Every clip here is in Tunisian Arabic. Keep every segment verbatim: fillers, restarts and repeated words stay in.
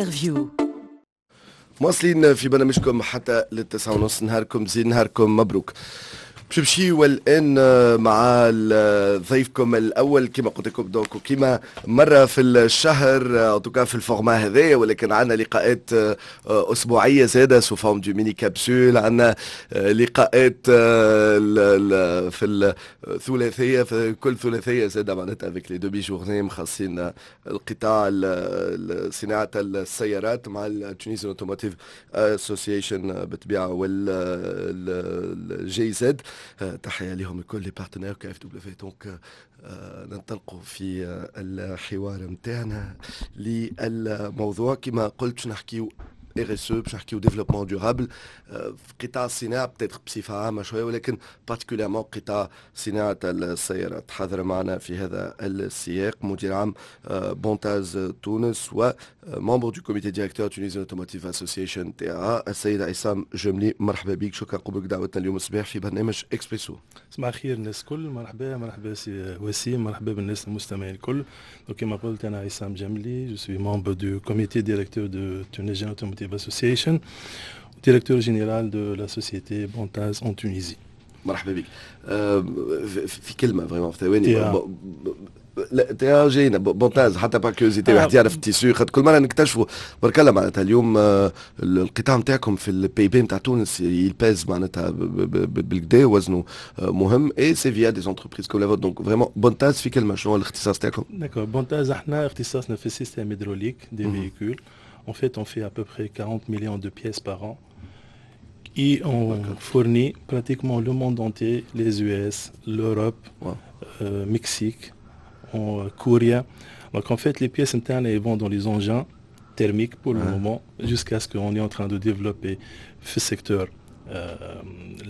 Interview. مواصلين في برنامجكم حتى للتسعة ونص. نهاركم زين، نهاركم مبروك. باش نمشيو الان مع ضيفكم الاول كما قلت لكم، donc كما مرة في الشهر en tout cas في ال format هذايا، ولكن عندنا لقاءات اسبوعية زاده sous forme de mini capsules. عندنا لقاءات في الثلاثيه، في كل ثلاثية زاده معناتها avec les demi-journées مخصصين القطاع صناعة السيارات مع ال Tunisian Automotive Association بالطبيعة وال GIZ. تحية لهم الكل، les partenaires KfW. donc ننطلقوا في الحوار نتاعنا للموضوع. كما قلت نحكيو RSE، باش نحكيو développement durable في قطاع الصناعة peut-être بصفة عامة شويه، ولكن particulièrement قطاع صناعة السيارات. حاضر معنا في هذا السياق مدير عام بونتاز تونس و membre du comité directeur Tunisian Automotive Association TAA، السيد عصام جملي. مرحبا بك، شكرا قبولك دعوتنا اليوم الصباح في برنامج اكسبريسو. صباح الخير الناس الكل، مرحبا مرحبا سي وسيم، مرحبا بالناس المستمعين الكل. donc كما قلت انا عصام جملي، je suis membre du comité directeur de Tunisian Automotive Association، directeur général de la société Bontaz en Tunisie. مرحبا بك. في كلمة vraiment، في ثواني، لا تي جاينا بونتاز حتى par curiosité، واحد يعرف ال tissu، خاطر كل مرة نكتشفوا. برك الله معناتها اليوم القطاع نتاعكم في ال PIB نتاع تونس il pèse معناتها بالكدا، وزنه مهم et c'est via des entreprises comme la vôtre. donc vraiment بونتاز في كلمه، شنو هو الاختصاص تاعكم؟ d'accord، بونتاز احنا اختصاصنا في ال système hydraulique des véhicules. En fait, on fait à peu près quarante millions de pièces par an. Et on fournit pratiquement le monde entier, les U S, l'Europe, wow. euh, Mexique, en Corée. Donc en fait, les pièces internes elles vont dans les engins thermiques pour le moment, jusqu'à ce qu'on est en train de développer ce secteur euh,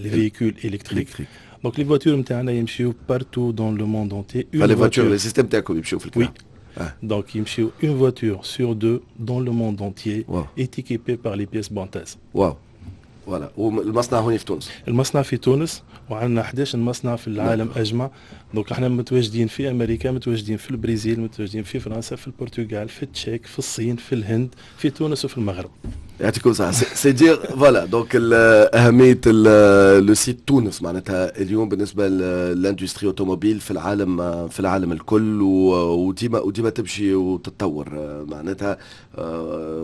les véhicules électriques. électriques. Donc les voitures نتاعنا يمشيو partout dans le monde entier. Une les voitures, les systèmes تاعكم يمشيو في Oui. Ah. Donc يمشيو une voiture sur deux dans le monde entier wow. est équipée par les pièces Bontaz. Wow. voilà، والمصنع هوني في تونس؟ المصنع في تونس، وعندنا حداش مصنع في العالم اجمع. donc احنا متواجدين في امريكا، متواجدين في البرازيل، متواجدين في فرنسا، في البرتغال، في التشيك، في الصين، في الهند، في تونس وفي المغرب. يعطيكم الصحة، c'est dire voilà donc أهمية le site تونس معناتها اليوم بالنسبة لل industrie automobile في العالم في العالم الكل، وديما وديما تمشي وتتطور معناتها.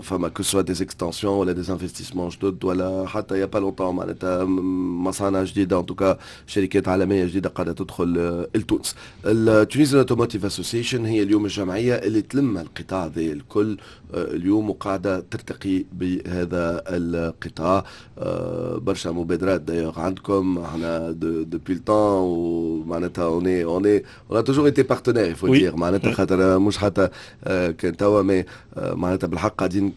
فما que ce soit des extensions ولا des investissements جدد، ولا حتى il y a pas longtemps معناتها مصانع جديدة، en tout cas شركات عالمية جديدة قاعدة تدخل لتونس. ال Tunisian Automotive Association هي اليوم الجمعية اللي تلم القطاع ذي الكل اليوم وقاعدة ترتقي بهذا القطاع. برشا مبادرات d'ailleurs عندكم، احنا depuis le temps ومعناتها on est on est on a toujours été partenaires، il faut dire، معناتها خاطر مش حتى كان توا، mais معناتها بالحق قاعدين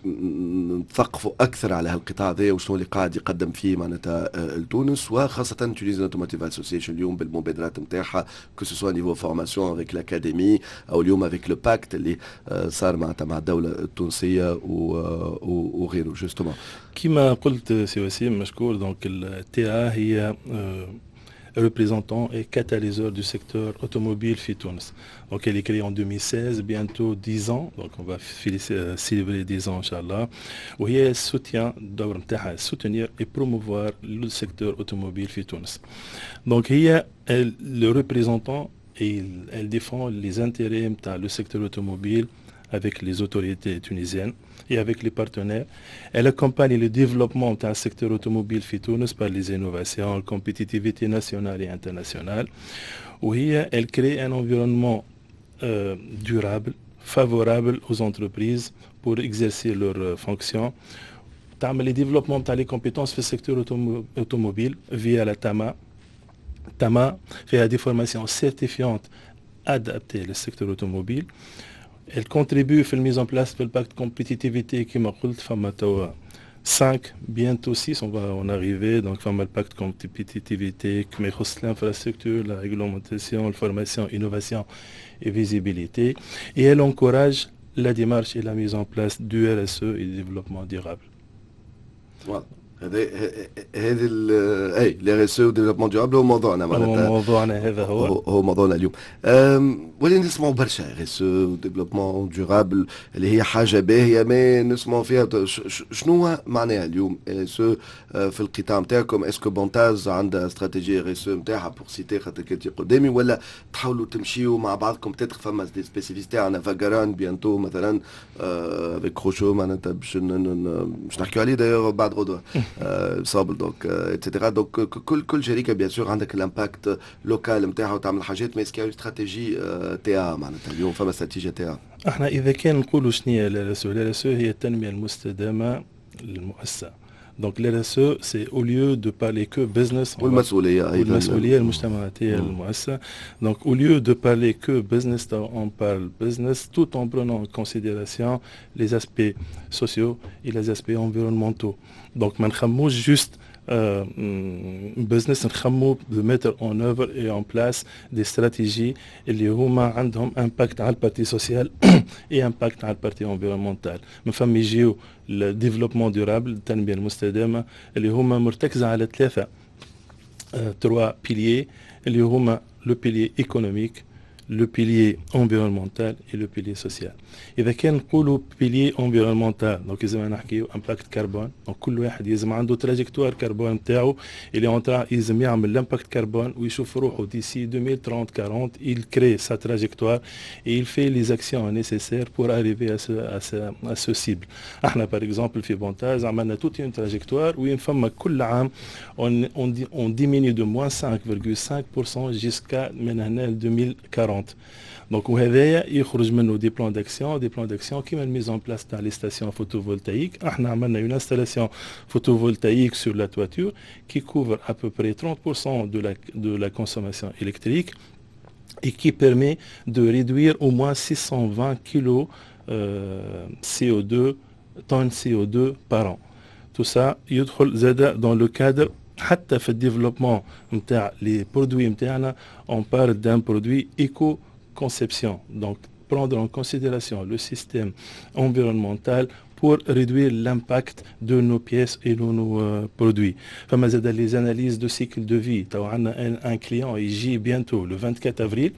نثقفوا اكثر على هالقطاع ذا وشنو اللي قاعد يقدم فيه معناتها لتونس، وخاصة Tunisian Automotive Association اليوم بالمبادرات نتاعها، que ce soit niveau formation avec l'académie او اليوم avec le pacte اللي صار معناتها مع الدولة التونسية وغيره justement. كما قلت سي وسيم، مشكور. donc ال TAA هي représentant et catalyseur du secteur automobile في تونس. Donc elle est créée en deux mille seize, bientôt dix ans. Donc on va célébrer dix ans إن شاء الله. وهي soutient، الدور نتاعها soutenir et promouvoir le secteur automobile في تونس. Donc هي le représentant et elle défend les intérêts نتاع le secteur automobile avec les autorités tunisiennes et avec les partenaires. Elle accompagne le développement du secteur automobile في تونس par les innovations, la compétitivité nationale et internationale. وهي elle crée un environnement euh, durable, favorable aux entreprises pour exercer leurs fonctions. تعمل les développements تاع les compétences في secteur automobile via la TAMA. TAMA فيها des formations certifiantes adaptées au secteur automobile. Elle contribue في mise en place du pacte compétitivité. كما قلت فما توا cinq، bientôt six، on va en arriver. donc فما ال pacte compétitivité كما يخص l'infrastructure، la réglementation، la formation، innovation et visibilité، et elle encourage la démarche et la mise en place du RSE et du développement durable. Voilà. هذا هذه اي la R S E و développement durable هو موضوعنا. معناتها هو موضوعنا هذا هو هو, هو موضوعنا اليوم. ولي نسمعوا برشا R S E و développement durable اللي هي حاجة باهيه، ما نسمعوا فيها. شنو معناها اليوم R S E في القطاع نتاعكم؟ est-ce que Bontaz عندها stratégie R S E نتاعها pour citer خاطر كنتي قدامي، ولا تحاولوا تمشيوا مع بعضكم؟ peut-être فما des spécificités، عندنا فاجران bientôt مثلا avec روشو، معناتها باش باش نحكيو عليه d'ailleurs بعد غدوه sable، donc et cetera. donc كل كل شركة bien sûr عندك ال impact local نتاعها وتعمل حاجات، mais est-ce que stratégie تاعها معناتها اليوم فما استراتيجية تاعها؟ احنا اذا كان نقولوا شنو هي la R S E، la R S E هي التنمية المستدامة للمؤسسه. donc la R S E، c'est au lieu de parler que business والمسؤولية ايضا. والمسؤولية المجتمعاتيه للمؤسسه. donc au lieu de parler que business، on parle business tout en prenant en considération les aspects sociaux et les aspects environnementaux. donc ما نخموش juste business، نخمو de mettre en œuvre et en place des stratégies اللي هما عندهم impact على ال partie sociale et impact على ال partie environnementale. من فم يجيو ال développement durable، التنمية المستدامه، اللي هما مرتكزه على ثلاثة trois piliers، اللي هما le pilier économique، le pilier environnemental et le pilier social. إذا كان نقولوا pilier environnemental، donc لازم نحكيو impact carbone. donc كل واحد لازم عنده trajectoire carbone نتاعو اللي en train لازم يعمل l'impact carbone ويشوف روحه d'ici deux mille trente quarante، il crée sa trajectoire et il fait les actions nécessaires pour arriver à ce, à ce, à ce cible. احنا par exemple في Bontaz عملنا toute une trajectoire وين فما كل عام on, on, on diminue de moins cinq virgule cinq pour cent jusqu'à من هنا ل deux mille quarante. donc وهذايا يخرج منه des plans d'action des plans d'action كيما ال mise en place تاع les stations photovoltaïques. احنا عملنا une installation photovoltaïque sur la toiture qui couvre à peu près trente pour cent de la, de la consommation électrique et qui permet de réduire au moins six cent vingt kilos euh, C O deux, tonnes C O deux par an. Tout ça يدخل زاد dans le cadre حتى في ال développement نتاع les produits نتاعنا، on parle d'un produit éco-conception. Donc prendre en considération le système environnemental pour réduire l'impact de nos pièces et de nos euh, produits. فما زاد les analyses de cycle de vie. تو عندنا un, un client يجي bientôt le vingt-quatre avril.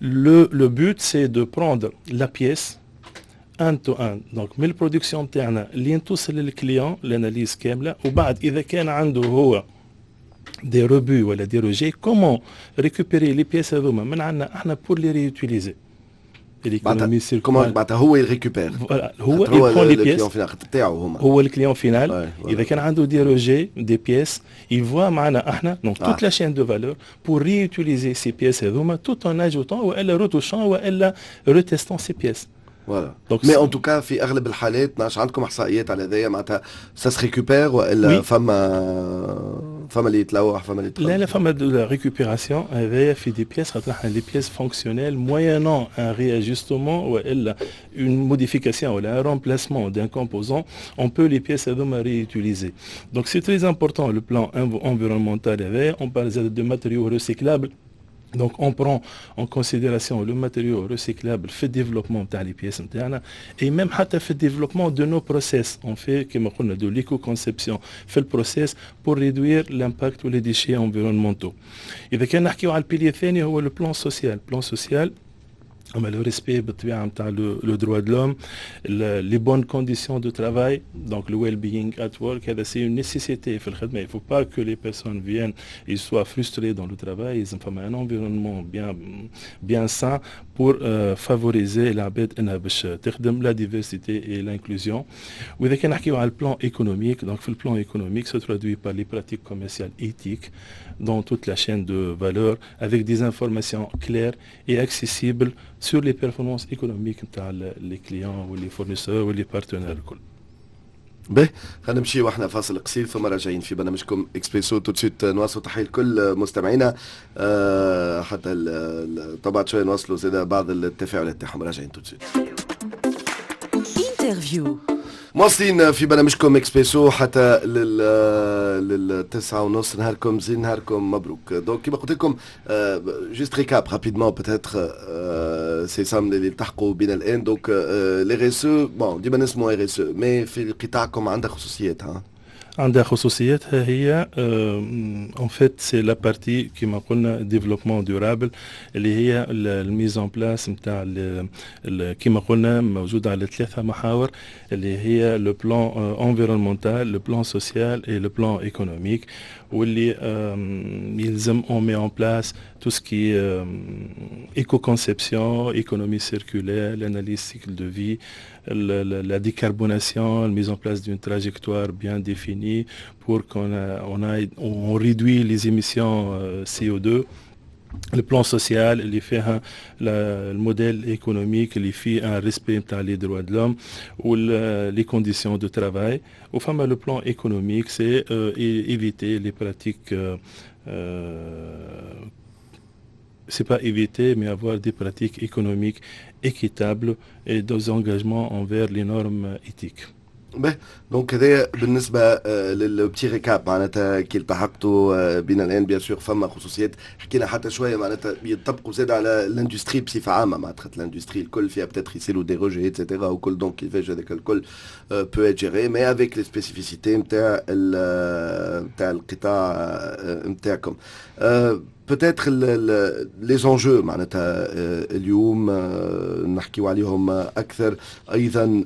Le, le but، c'est de prendre la pièce end to end، donc من ال production تاعنا لين توصل لل client، l'analyse كامله، وبعد اذا كان عنده هو des rebuts ولا des rejets، comment récupérer les pièces هذوما من عندنا احنا pour les réutiliser. l'économie circulaire، معناتها هو ي récupère. هو il prend les pièces تاعو هما. هو ال client final، اذا كان عنده des rejets، des pièces، il voit معنا احنا donc toute la chaîne de valeur pour réutiliser ces pièces هذوما tout en ajoutant والا retouchant والا retestant ces pièces. voilà، mais en tout cas في اغلب الحالات، ما عندكم احصائيات على هذايا؟ معناتها ça se récupère والا فما فما اللي يتلوح، فما اللي لا لا، فما de la récupération هذايا في des pièces، خاطر احنا les pièces fonctionnelles، moyennant un réajustement والا une modification ولا un remplacement d'un composant، on peut les pièces هذوما réutiliser. Donc c'est très important le plan environnemental هذايا. On parle de matériaux recyclables. Donc on prend en considération le matériau recyclable في développement تاع les pièces نتاعنا et même حتى في développement de nos process. On fait كما قلنا de l'éco-conception في ال process pour réduire l'impact ou les déchets environnementaux. إذا كان نحكيو على ال pilier الثاني هو le plan social. Plan social، اما le respect بالطبيعة نتاع le droit de l'homme، les bonnes conditions de travail، donc le well-being at work، هذا c'est une nécessité في الخدمه. il faut pas que les personnes viennent et soient frustrées dans le travail. لازم فما un environnement bien bien sain pour favoriser العباد انها باش تخدم، la diversité et l'inclusion. واذا كان نحكيو على ال plan économique، donc في ال plan économique se traduit par les pratiques commerciales éthiques dans toute la chaîne de valeur avec des informations claires et accessibles sur les performances économiques نتاع les clients ou les fournisseurs ou les partenaires الكل. باهي، خلينا نمشي واحنا فاصل قصير ثم راجعين في برنامجكم اكسبريسو tout de suite. نواصلوا، تحية لكل مستمعينا، أه حتى طبعا شوية نواصلوا زاد بعض التفاعلات تاعهم. راجعين tout de suite. interview. مواصلين في برنامجكم اكسبريسو حتى لل للتسعة ونص. نهاركم زين، نهاركم مبروك. donc كما قلت لكم، juste récap rapidement peut-être سي سام اللي التحقوا بنا الان. donc la R S E، bon ديما نسمو R S E، mais في قطاعكم عندها خصوصيات ها. عندها خصوصياتها هي. en fait c'est la partie كيما قلنا développement durable، اللي هي ال mise en place نتاع كيما قلنا موجودة على ثلاثة محاور، اللي هي le plan environnemental، le plan social et le plan économique، واللي يلزم on met en place tout ce qui est éco-conception، économie circulaire، l'analyse cycle de vie، la décarbonation، la mise en place d'une trajectoire bien définie pour qu'on on, on réduit les émissions C O deux. Le plan social اللي فيها ال modèle économique اللي فيه un respect نتاع les droits de l'homme و les conditions de travail. وفما le plan économique، c'est éviter les pratiques، euh, c'est pas éviter، mais avoir des pratiques économiques équitables et des engagements envers les normes éthiques. به، donc هذايا بالنسبة لل petit récap، معناتها كي التحقتوا بنا الان، bien sûr فما خصوصيات، حكينا حتى شويه، معناتها يطبقوا زاد على l'industrie بصفة عامه، معناتها l'industrie الكل فيها peut-être يصيروا des rejets et cetera وكل، donc كيفاش هذاك الكل peut être géré، mais avec les spécificités نتاع نتاع القطاع نتاعكم. peut-être les enjeux معناتها اليوم نحكيو عليهم اكثر ايضا،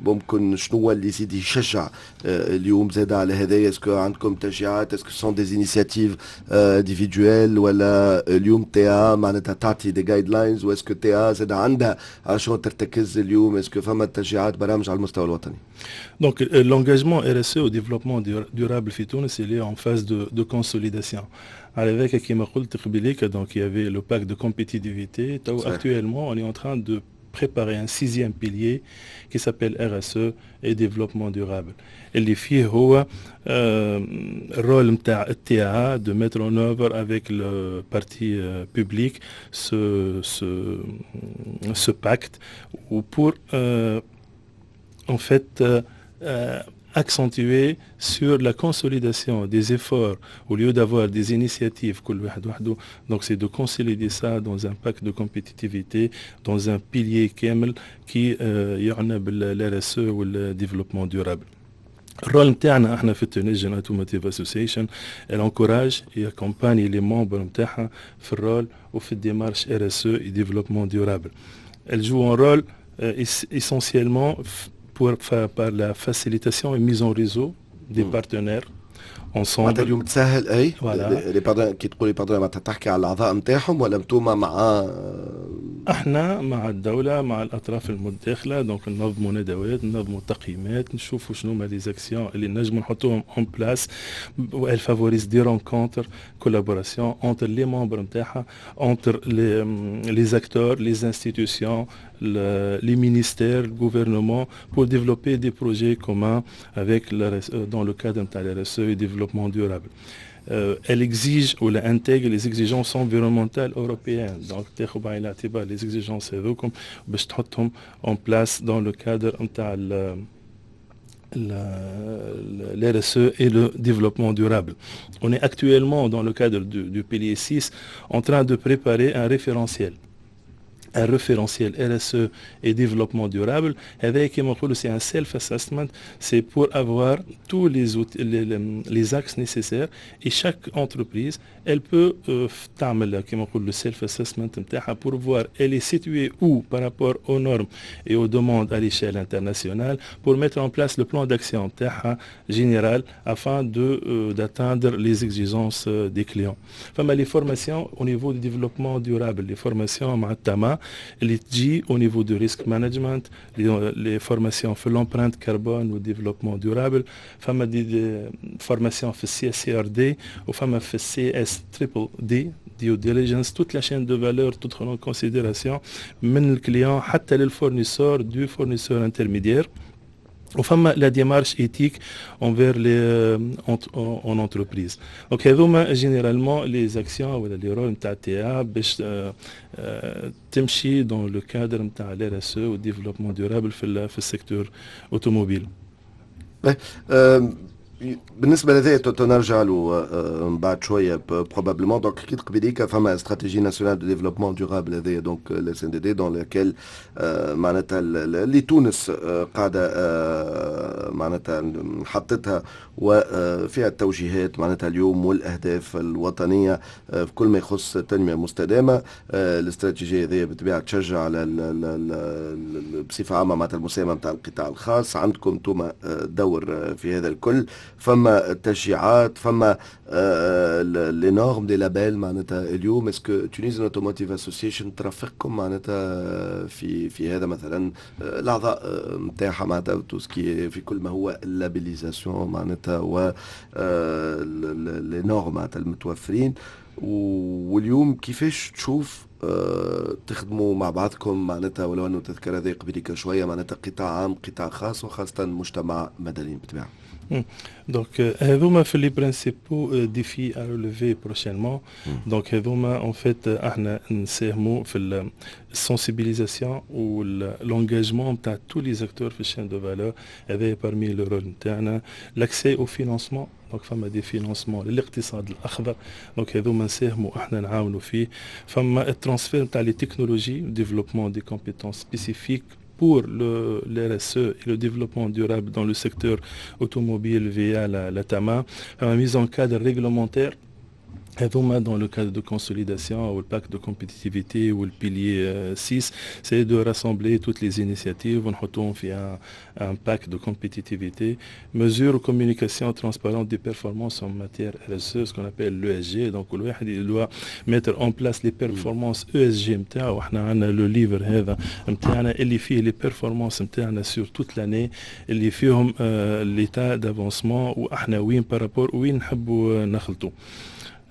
ممكن شنو اللي يزيد يشجع اليوم زاد على هذايا؟ est-ce que عندكم تشجيعات؟ est-ce que ce sont des initiatives individuelles ولا اليوم T A معناتها تعطي des guidelines؟ و est-ce que T A زاد عندها على شنو ترتكز اليوم؟ est-ce que فما تشجيعات، برامج على المستوى الوطني؟ Donc l'engagement R S E au développement durable في تونس، il est en phase de, de consolidation. Avec كما قلت قبليك، donc il y avait le pacte de compétitivité. Actuellement، on est en train de préparer un sixième pilier qui s'appelle R S E et développement durable. اللي فيه هو ال rôle نتاع ال T A de mettre en œuvre avec le parti public ce, ce, ce pacte ou pour euh, en fait euh, accentuer sur la consolidation des efforts au lieu d'avoir des initiatives. Donc c'est de consolider ça dans un pacte de compétitivité، dans un pilier كامل qui يعنى بال R S E وال développement durable. ال rôle نتاعنا احنا في Tunisian Automotive Association، elle encourage et accompagne les membres نتاعها في ال rôle وفي ال démarche R S E et développement durable. Elle joue un rôle euh, essentiellement pour, par la facilitation et mise en réseau des mmh. partenaires ensemble. معناتها اليوم تسهل اي les partenaires، كي تقولي partenaires معناتها تحكي على الاعضاء نتاعهم ولا انتوما مع؟ احنا مع الدوله، مع الاطراف المتداخله. donc ننظموا ندوات، ننظموا تقييمات، نشوفوا شنو هما les actions اللي نجموا نحطوهم en place، و elle favorise des rencontres، collaboration entre les membres نتاعها، entre les les acteurs، les institutions، les ministères، le gouvernement، pour développer des projets communs avec dans le cadre de la R S E et développement durable. Euh, elle exige ou elle intègre les exigences environnementales européennes. Donc, تاخذ بعين الاعتبار les exigences هذوكم باش تحطهم en place dans le cadre نتاع l'R S E et le développement durable. On est actuellement dans le cadre du, du pilier six en train de préparer un référentiel un référentiel R S E et développement durable. Avec c'est un self-assessment، c'est pour avoir tous les, outils، les, les, axes nécessaires et chaque entreprise، elle peut euh, le self-assessment pour voir elle est située où par rapport aux normes et aux demandes à l'échelle internationale، pour mettre en place le plan d'action général afin de euh, d'atteindre les exigences euh, des clients. Enfin، les formations au niveau du développement durable، les formations مع التما اللي تجي au niveau du risk management، les, les formations في l'empreinte carbone و développement durable. فما des, des formations في ال C S R D وفما في ال C S triple D، due diligence، toute la chaîne de valeur تدخل en considération من ال client حتى لل fournisseur du fournisseur intermédiaire، وفما la démarche éthique envers les en entreprise. donc هذوما généralement les actions ولا les rôles نتاع T A باش تمشي dans le cadre نتاع ال R S E و développement durable في في ال secteur automobile. بالنسبة لهذا نرجع له من بعد شوية probablement. donc حكيت قبيليك فما stratégie nationale de développement durable هذايا، donc la SNDD dans laquelle معناتها اللي تونس قاعدة معناتها حطتها وفيها التوجيهات معناتها اليوم والاهداف الوطنية في كل ما يخص التنمية المستدامه. الاستراتيجية هذه بالطبيعة تشجع على بصفة عامة معناتها المساهمة نتاع القطاع الخاص. عندكم انتم دور في هذا الكل، فما تشجيعات، فما les normes، des labels. معناتها اليوم est-ce que Tunisian Automotive Association ترافقكم معناتها في في هذا، مثلا الاعضاء نتاعها، معناتها tout ce qui في كل ما هو ال labellisation معناتها و les normes معناتها المتوفرين؟ واليوم كيفاش تشوف آه، تخدموا مع بعضكم معناتها، ولو انه تذكر هذا قبليك شويه، معناتها قطاع عام، قطاع خاص، وخاصة مجتمع مدني بالطبيعه؟ Donc, هذوما في les principaux défis à relever prochainement. Donc, هذوما en fait احنا نساهموا في ال sensibilisation و l'engagement نتاع tous les acteurs في ال chaîne de valeur. هذا parmi le rôle نتاعنا. l'accès au financement، donc فما des financements للاقتصاد الاخضر، donc هذوما نساهموا احنا نعاونوا فيه. فما ال transfert نتاع les technologies، développement des compétences spécifiques pour le l'R S E et le développement durable dans le secteur automobile via la, la TAMA, la mise en cadre réglementaire هذوما dans le cadre de consolidation ou le pacte de compétitivité ou le pilier six، c'est de rassembler toutes les initiatives ونحطوهم في un, un pacte de compétitivité. mesure communication transparente des performances en matière R S E، ce qu'on appelle l'E S G. donc الواحد il doit mettre en place les performances E S G نتاعو. احنا عندنا le livre هذا نتاعنا اللي فيه les performances نتاعنا sur toute l'année، اللي فيهم l'état d'avancement واحنا وين par rapport وين نحبوا نخلطوا.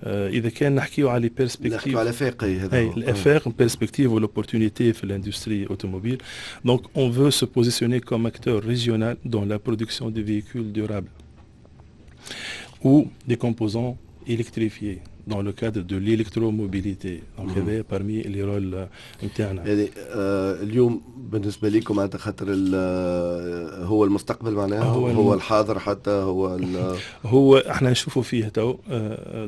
آه، اذا كان نحكيو على perspectives، نحكيو على افاق. هذا الافاق، perspectives و l'opportunité في l'industrie automobile. donc on veut se positionner comme acteur régional dans la production des véhicules durables ou des composants électrifiés dans le cadre de l'électromobilité. donc هذا parmi les rôles نتاعنا. يعني آه اليوم بالنسبة لكم معناتها خاطر هو المستقبل معناها، هو, هو الحاضر حتى هو. هو احنا نشوفوا فيه تو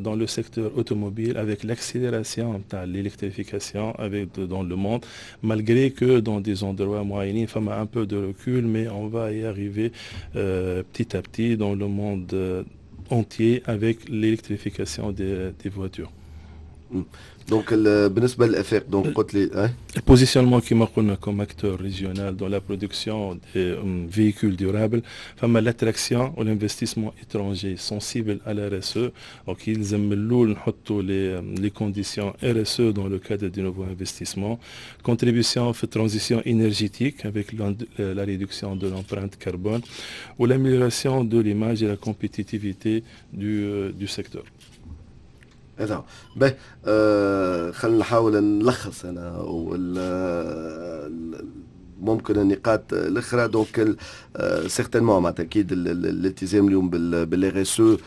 dans le secteur automobile avec l'accélération نتاع l'électrification avec dans le monde، malgré que dans des endroits معينين فما un peu de recul، mais on va y arriver euh, petit à petit dans le monde entier avec l'électrification des, des voitures. donc بالنسبة للافاق، donc قلت لي ال positionnement كما قلنا comme acteur régional dans la production des véhicules durables. فما l'attraction و l'investissement étranger sensible à la R S E، donc يلزم من الاول نحطوا les les conditions R S E dans le cadre des nouveaux investissements. contribution في transition énergétique avec la réduction de l'empreinte carbone ou l'amélioration de l'image et la compétitivité du, du secteur. هذا باهي. آه خلينا نحاول نلخص انا وال ممكن النقاط الاخرى. donc certainement معناتها اكيد الالتزام اليوم بال R S E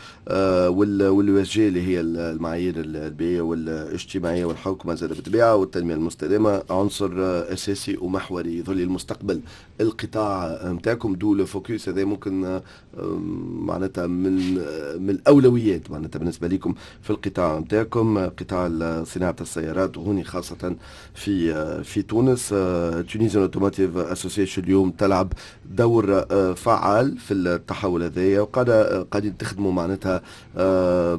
وال E S G، اللي هي المعايير البيئية والاجتماعية والحوكمه زاد بالطبيعة والتنمية المستدامه، عنصر اساسي ومحوري يظل المستقبل القطاع نتاعكم، d'où le focus هذا ممكن معناتها من من الاولويات معناتها بالنسبة لكم في القطاع نتاعكم، قطاع صناعة السيارات، وهوني خاصة في في تونس. Tunisian Automotive Association اليوم تلعب دور آه، فعال في التحول هذايا، وقاعدة قاعدين تخدموا معناتها آه،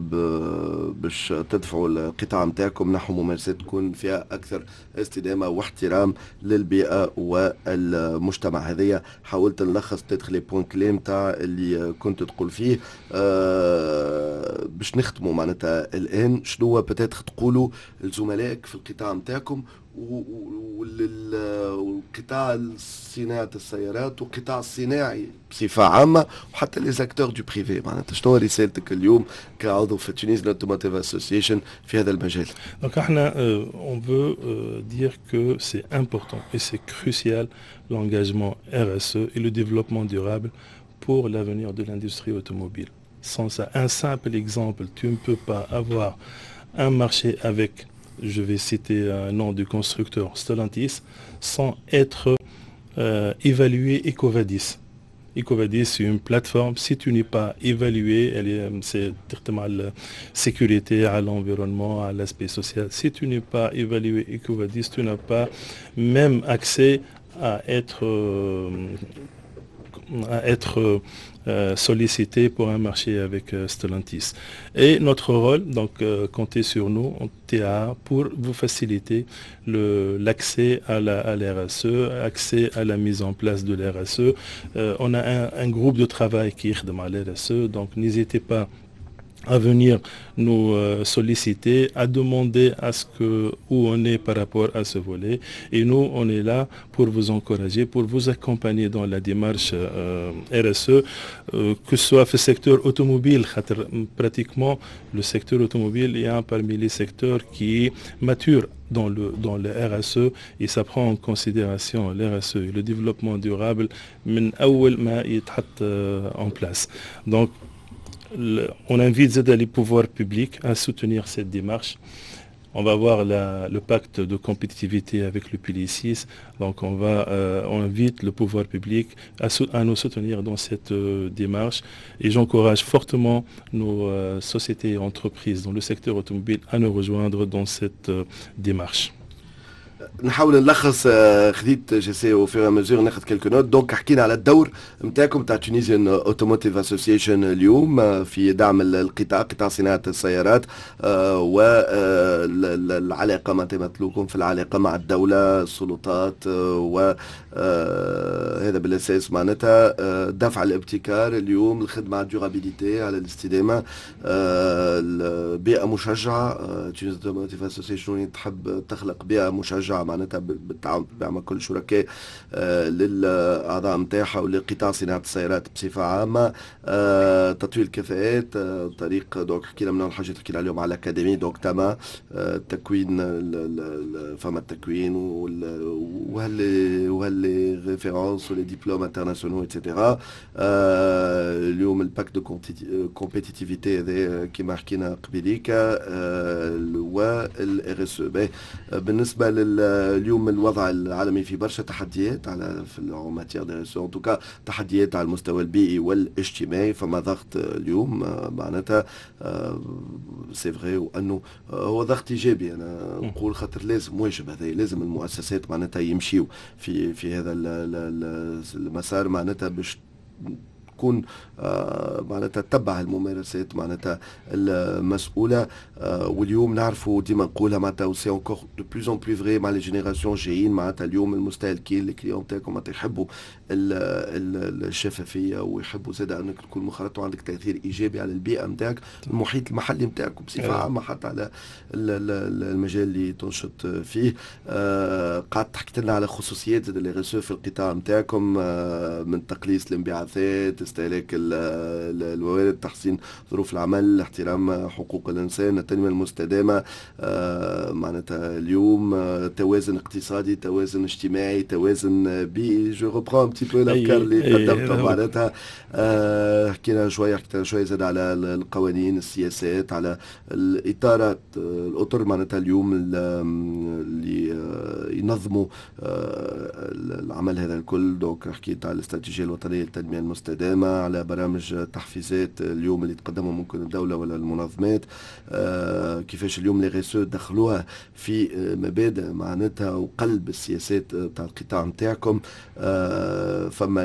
باش تدفعوا القطاع نتاعكم نحو ممارسات تكون فيها اكثر استدامه واحترام للبيئة والمجتمع. هذايا حاولت نلخص peut-être les points clés نتاع اللي كنت تقول فيه. آه، باش نختموا معناتها الان، شنو peut-être تقولوا لزملائك في القطاع نتاعكم والقطاع صناعة السيارات والقطاع الصناعي بصفة عامة وحتى les acteurs du privé؟ معناتها شنو رسالتك اليوم كعضو في Tunisian Automotive Association في هذا المجال؟ Donc احنا on veut dire que c'est important et c'est crucial l'engagement R S E et le développement durable pour l'avenir de l'industrie automobile. Sans ça, un simple exemple, tu ne peux pas avoir un marché avec, je vais citer un nom du constructeur, Stellantis, sans être euh, évalué EcoVadis. EcoVadis, c'est une plateforme. Si tu n'es pas évalué, elle est, c'est à la sécurité, à l'environnement, à l'aspect social. Si tu n'es pas évalué EcoVadis, tu n'as pas même accès à être, euh, à être euh, sollicité pour un marché avec euh, Stellantis. Et notre rôle, donc euh, comptez sur nous, en T A, pour vous faciliter l'accès à la, à l'R S E, accès à la mise en place de l'R S E. On a un, un, groupe de travail qui est à l'R S E, donc n'hésitez pas à venir nous euh, solliciter, à demander à ce que où on est par rapport à ce volet. Et nous, on est là pour vous encourager, pour vous accompagner dans la démarche euh, R S E, euh, que ce soit le secteur automobile, pratiquement le secteur automobile est un parmi les secteurs qui est mature dans le, dans le R S E et ça prend en considération l'R S E et le développement durable من أول ما يتحط en place. Donc on invite زادة les pouvoirs publics à soutenir cette démarche. On va voir la, le pacte de compétitivité avec le pilier six. Donc on va, euh, on invite le pouvoir public à, à nous soutenir dans cette euh, démarche. Et j'encourage fortement nos euh, sociétés et entreprises dans le secteur automobile à nous rejoindre dans cette euh, démarche. نحاول نلخص، خذيت j'essaie au fur et à mesure ناخذ quelques notes. Donc حكينا على الدور نتاعكم تاع Tunisian Automotive Association اليوم في دعم القطاع، قطاع صناعه السيارات، والعلاقه ما تمثلوكم في العلاقه مع الدوله، السلطات، وهذا بالاساس معناتها دفع الابتكار اليوم، الخدمه على ال durabilité، على الاستدامه، بيئه مشجعه. Tunisian Automotive Association تحب تخلق بيئه مشجعه معناتها بالتعاون مع كل شركاء آه، للاعضاء نتاعها ولقطاع صناعه السيارات بصفه عامه، آه، تطوير الكفاءات آه، طريق donc حكينا من الحاجات حكينا اليوم على l'académie، donc تما التكوين، فما التكوين وهل وهل les références و les diplômes internationaux et cetera. اليوم ال pacte de compétitivité هذا كما حكينا قبيليك وال R S E. بالنسبه لليوم، الوضع العالمي في برشا تحديات على في matière de R S E، en tout cas تحديات على المستوى البيئي والاجتماعي، فما ضغط اليوم معناتها، c'est vrai، وانه هو ضغط ايجابي انا نقول، خاطر لازم، واجب هذا، لازم المؤسسات معناتها يمشيو في في هذا المسار معناتها باش تكون آه، معناتها تتبع الممارسات معناتها المسؤوله. آه، واليوم نعرفوا، ديما نقولها معناتها، c'est encore de plus en plus vrai مع les générations جايين، معناتها اليوم المستهلكين، les clients تاعكم معناتها يحبوا الشفافيه ويحبوا زاد انك تكون منخرط وعندك تاثير ايجابي على البيئه نتاعك، المحيط المحلي نتاعك، بصفه عامه حتى على المجال اللي تنشط فيه. آه، قعدت حكيت لنا على خصوصيات les R S E في القطاع نتاعكم، من تقليص الانبعاثات، استهلاك الموارد، تحسين ظروف العمل، احترام حقوق الانسان، التنميه المستدامه، آه، معناتها اليوم آه، توازن اقتصادي، توازن اجتماعي، توازن بيئي. je reprends un petit peu الافكار اللي قدمتها معناتها. آه، حكينا شويه حكينا شويه زاد على القوانين، السياسات، على الاطارات، الاطر معناتها اليوم اللي ينظموا العمل هذا الكل. donc حكيت على الاستراتيجيه الوطنيه للتنميه المستدامه، على برامج تحفيزات اليوم اللي تقدمها ممكن الدوله ولا المنظمات، آه كيفاش اليوم les R S E دخلوها في مبادئ معناتها وقلب السياسات تاع القطاع نتاعكم. آه فما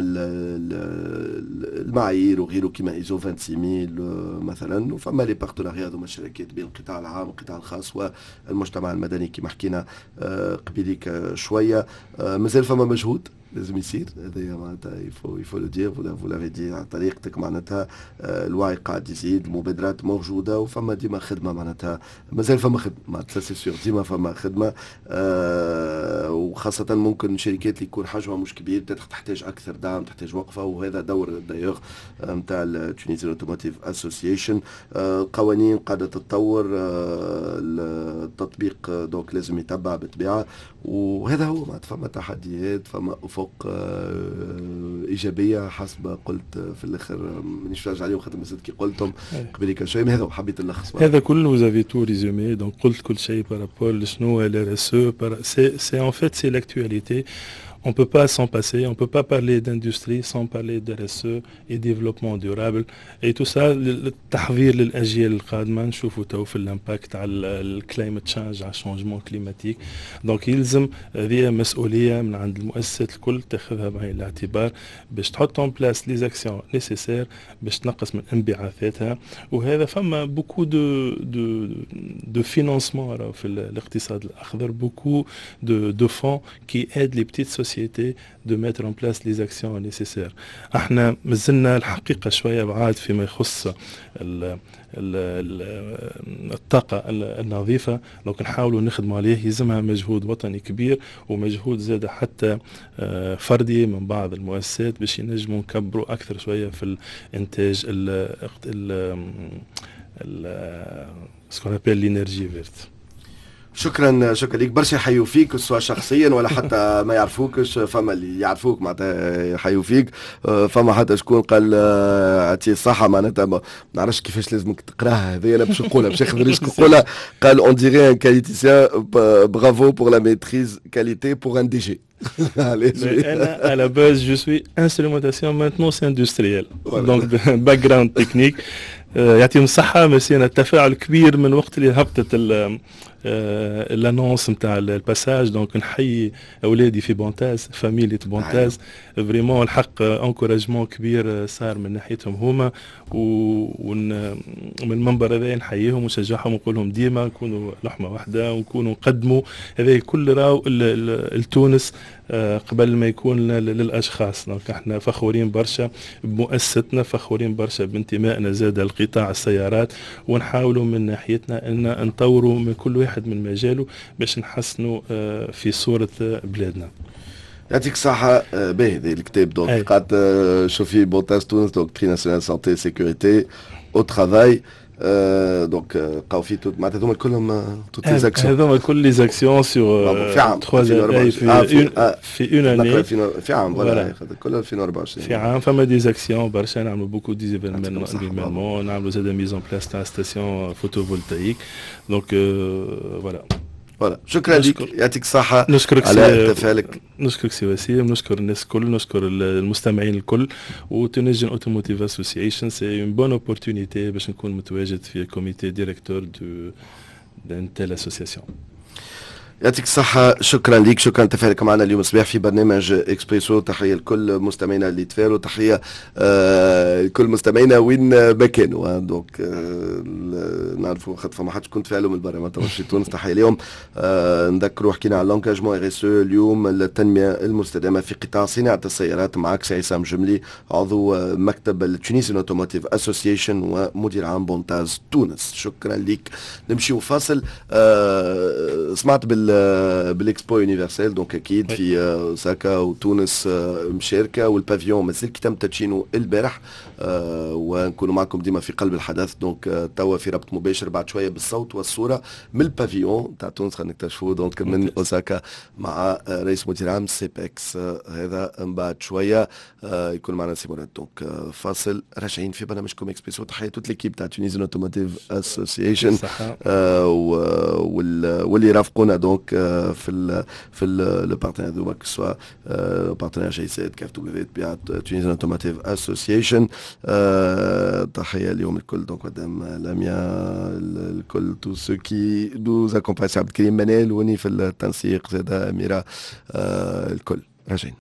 المعايير وغيره كما ايزو ستة وعشرين ألف مثلا، وفما les partenariats هذوما، الشراكات بين القطاع العام والقطاع الخاص والمجتمع المدني كما حكينا آه قبيليك شويه. آه مازال فما مجهود لازم يصير، هذا معناتها il faut il faut le dire، vous l'avez dit على طريقتك معناتها. آه، الوعي قاعد يزيد، المبادرات موجوده، وفما ديما خدمه، معناتها مازال فما خدمه معناتها، c'est sûr، ديما فما خدمه، آه وخاصه ممكن شركات اللي يكون حجمها مش كبير تحتاج اكثر دعم، تحتاج وقفه، وهذا دور d'ailleurs نتاع ال Tunisian Automotive Association. القوانين قاعده تتطور، آه، التطبيق donc لازم يتبع بالطبيعه، وهذا هو معناتها. فما تحديات، فما افق آه، ايجابيه حسب قلت في الاخر، مانيش راجع عليهم خاطر مازلت كي قلتهم قبل شوي. هذا حبيت نلخص. هذا كله vous avez tout résumé، donc قلت كل شيء par rapport لشنو ال R S E. c'est c'est en fait c'est l'actualité. On ne peut pas s'en passer, on ne peut pas parler d'industrie sans parler de R S E et développement durable. Et tout ça, التحضير للأجيال القادمة، نشوفوا تو في l'impact على ال climate change، على ال changement climatique. donc يلزم هذه مسؤولية من عند المؤسسات الكل تاخذها بعين الاعتبار باش تحط en place les actions nécessaires باش تنقص من انبعاثاتها. وهذا فما beaucoup de de de financement في الاقتصاد الاخضر، beaucoup de de fonds qui aident les petites sociétés de mettre en place les actions nécessaires. احنا مازلنا الحقيقة شوية بعاد فيما يخص ال ال الطاقة النظيفة، donc نحاولوا نخدموا عليه. يلزمها مجهود وطني كبير ومجهود زاد حتى آه، فردي من بعض المؤسسات باش ينجموا نكبروا أكثر شوية في الإنتاج ال ce qu'on appelle l'énergie verte. شكرا، شكرا لك برشا. يحيوا فيك سواء شخصيا ولا حتى ما يعرفوكش، فما اللي يعرفوك معناتها يحيوا فيك. فما حتى شكون قال عطية الصحة، معناتها ما نعرفش كيفاش لازمك تقراها هذه، انا باش نقولها، باش ناخذ risque نقولها، قال on dirait un qualiticien، bravo pour la maîtrise qualité pour un D G. أنا à la base je suis instrumentation maintenance industrielle، donc background technique. يعطيهم الصحة، ميرسي. أنا التفاعل كبير من وقت اللي هبطت l'annonce نتاع ال passage، donc نحيي اولادي في بونتاز، فاميلية بونتاز، vraiment الحق encouragement كبير صار من ناحيتهم هما، ومن المنبر هذا نحييهم ونشجعهم ونقول لهم ديما نكونوا لحمه واحدة ونكونوا نقدموا هذا كل راهو لتونس آه، قبل ما يكون للاشخاص. donc احنا فخورين برشا بمؤسستنا، فخورين برشا بانتمائنا زاد لقطاع السيارات، ونحاولوا من ناحيتنا ان نطوروا من كل واحد من مجاله باش نحسنوا آه، في صوره بلادنا. يعطيك الصحة. آه، باهي الكتاب، donc قعدت شوفي بونتاز تونس، donc prix national santé sécurité au travail، donc قاو في معناتها هذوما كلهم toutes les actions. هذوما كل les actions sur في عام. في في في une année. في عام، voilà، كل ألفين وأربعة وعشرين. في عام فما des actions برشا، نعملوا beaucoup des événements، نعملوا زاد mise en place تاع station photovoltaïque، donc voilà. voilà، شكرا لك، يعطيك الصحة. نشكرك. على تفاعلك. نشكرك سي وسيم، نشكر الناس الكل، نشكر المستمعين الكل، و Tunisian Automotive Association c'est une bonne opportunité باش نكون متواجد في comité directeur de d'une telle association. يعطيك الصحة، شكرا لك، شكرا تفاعلك معنا اليوم الصباح في برنامج اكسبريسو. تحية لكل مستمعينا اللي تفاعلوا، تحية آه لكل مستمعينا وين ما كانوا. donc آه نعرفوا خاطر فما حد شكون تفاعلوا من برا ما في تونس، تحية اليوم. آه نذكروا حكينا على l'engagement R S E اليوم، التنمية المستدامة في قطاع صناعة السيارات، معك سي عصام جملي، عضو مكتب ال Tunisian Automotive Association ومدير عام بونتاز تونس. شكرا لك. نمشيو فاصل. آه سمعت بال بال expo universelle، donc اكيد في اوساكا وتونس مشاركه، وال pavillon مازال كي تم تدشينه البارح، ونكونوا معكم ديما في قلب الحدث. donc توا في ربط مباشر بعد شوية بالصوت والصورة من ال pavillon تاع تونس، خلينا نكتشفوه donc من اوساكا مع رئيس مدير عام سيبكس. هذا من بعد شوية يكون معنا سي مراد. donc فاصل، راجعين في برنامجكم اكسبريسو. تحية toute l'équipe تاع Tunisian Automotive Association واللي رافقونا donc في ال في le partenaire هذوما، que ce soit partenaire جي سي كاف دبليو تبيعت Tunisian Automotive Association. تحية اليوم الكل، donc مدام لميا، الكل، tous ceux qui nous accompagnent، عبد الكريم منال وني في التنسيق، زاد اميره، الكل. راجعين.